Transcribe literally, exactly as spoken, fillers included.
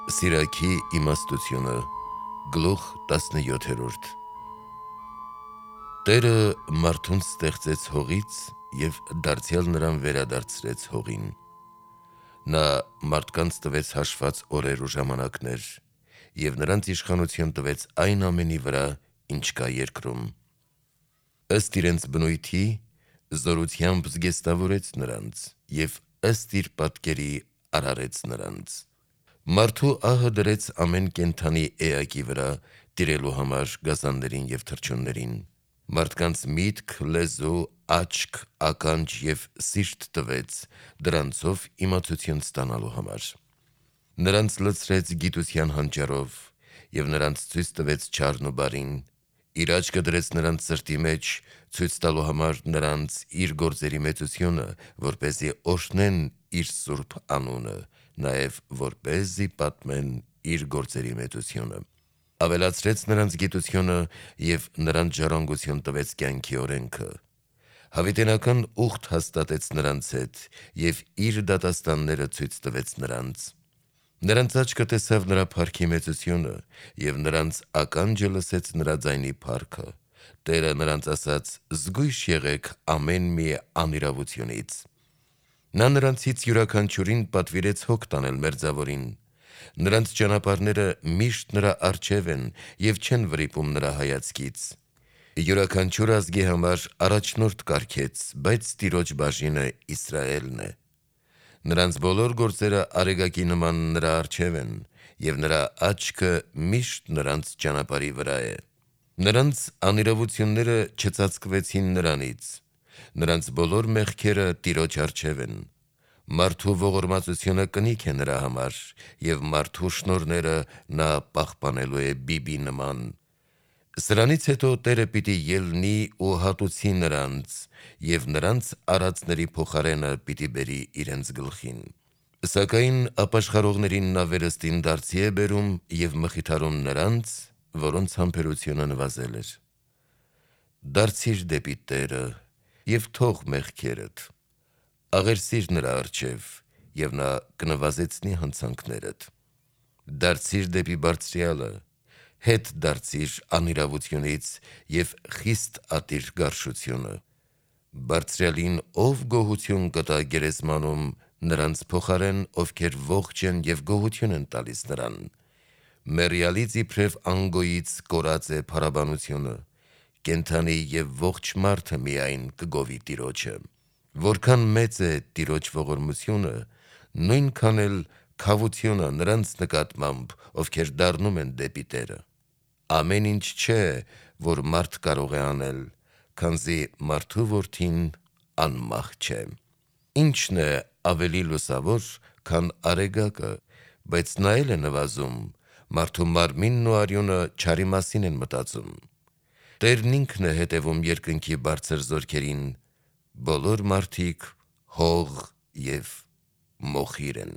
Սիրակի իմաստությունը գլուխ տասնյոթերորդ Տերը մարդուն ստեղծեց հողից և դարձյալ նրան վերադարձրեց հողին: Նա մարդկանց տվեց հաշված օրեր ու ժամանակներ և նրանց իշխանություն տվեց այն ամենի վրա, ինչ կա երկրում: Ըստ իրենց բնույթի զորությամբ զգեստավորեց նրանց և ըստ իր պատկերի արարեց նրանց: Մարդու ահը դրեց ամեն կենդանի էակի վրա, տիրելու համար գազաններին և թռչուններին: Մարդկանց միտք, լեզու, աչք, ականջ և սիրտ տվեց դրանցով իմացություն ստանալու համար: Նրանց լցրեց գիտության հանճարով և նրանց ցույց տվեց չարն ու բարին: Իր աչքը դրեց նրանց սրտի մեջ, ցույց տալու համար նրանց իր գործերի մեծությունը, որպեսզի օրհնեն իր սուրբ անունը, նաև որպեսզի պատմեն իր գործերի մեծությունը: Ավելացրեց նրանց գիտությունը և նրանց ժառանգություն տվեց կյանքի օրենքը: Հավիտենական ուխտ հաստատեց նրանց հետ և իր դատաստանները ցույց տվեց նրանց: Նրանց աչքը տեսավ նրա փառքի մեծությունը և նրանց ականջը լսեց նրա ձայնի փառքը: Տերը նրանց ասաց. «Զգույշ եղեք ամեն մի անիրավությունից»: Նա նրանցից յուրաքանչյուրին պատվիրեց հոգ տանել մերձավորին: Նրանց ճանապարհները միշտ նրա առջև են և չեն վրիպում նրա հայացքից: Յուրաքանչյուր ազգի համար առաջնորդ կարգեց, բայց Տիրոջ բաժինը Իսրայելն է: Նրանց բոլոր գործերը արեգակի նման նրա առջև են և նրա աչքը միշտ նրանց ճանապարհի վրա է: Նրանց անիրավությունները չծածկվեցին նրանից: Նրանց բոլոր մեղքերը Տիրոջ առջև են: Մարդու ողորմածությունը կնիք է նրա համար և մարդու շնորհները նա պահպանելու է բբի նման: Սրանից հետո Տերը պիտի ելնի ու հատուցի նրանց և նրանց արածների փոխարենը պիտի բերի իրենց գլխին: Սակայն ապաշխարողներին նա վերստին դարձի է բերում և մխիթարում նրանց, որոնց համբերությունը նվազել էր: Դարձի՛ր դեպի Տերը և թող մեղքերդ: Աղերսի՛ր նրա առջև և նա կնվազեցնի հանցանքներդ: Դարձի՛ր դեպի Բարձրյալը, հետ դարձի՛ր անիրավությունից և խիստ ատի՛ր գարշությունը: Բարձրյալին ով գոհություն կտա գերեզմանում նրանց փոխարեն, ովքեր ողջ են և գոհություն են տալիս նրան: Մեռյալից իբրև անգոյից կորած է փառաբանությունը: Կենդանի և ողջ մարդը միայն կգովի Տիրոջը: Որքան մեծ է Տիրոջ ողորմությունը, նույնքան էլ քավությունը նրանց նկատմամբ, ովքեր դառնում են դեպի Տերը: Ամեն ինչ չէ, որ մարդ կարող է անել, քանզի մարդու որդին անմահ չէ: Ի՞նչն է ավելի լուսավոր, քան արեգակը, բայց նա էլ է նվազում: Մարդու մարմինն ու արյունը չարի մասին են մտածում: Տերն ինքն է հետևում երկնքի բարձր զորքերին: Բոլոր մարդիկ հող և մոխիր են: